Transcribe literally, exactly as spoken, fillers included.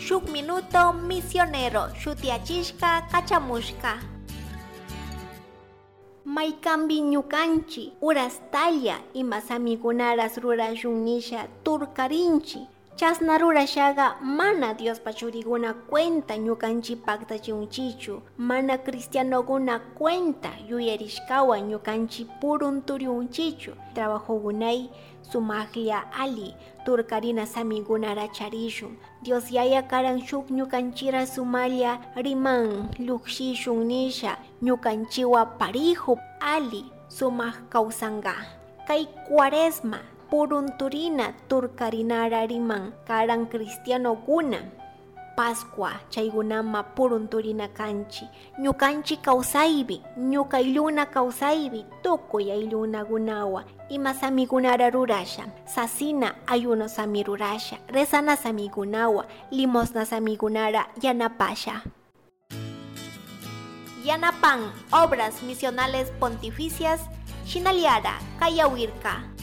Shuk minuto misionero shutiachishka kachamushka. Maykambi ñukanchi urastalla ima samikunaras rurashun nisha turkarinchi. Chasna rurashaga mana Diospa churiguna cuenta ñukanchi paktachiunchichu, mana cristianoguna cuenta yuyarishkawan ñukanchi purunturiunchichu. Trabajogunay sumajlla ali turkarina samigunara charishun. Dios yaya karan shuk ñukanchira sumalla riman llukshishun nisha ñukanchiwa parijo ali sumaj kawsanga. Kay cuaresma purunturina turkarinara riman karan cristianoguna. Pascua chaygunama purunturina kanchi ñukanchi kawsaypi ñuka aylluna kawsaypi tukuy ayllunakunawa ima samikunara rurasha sasina ayuno sami rurasha rezana samikunawa limosna samikunara yanapasha. Yanapan Obras Misionales Pontificias Shinaliara Kayawirka.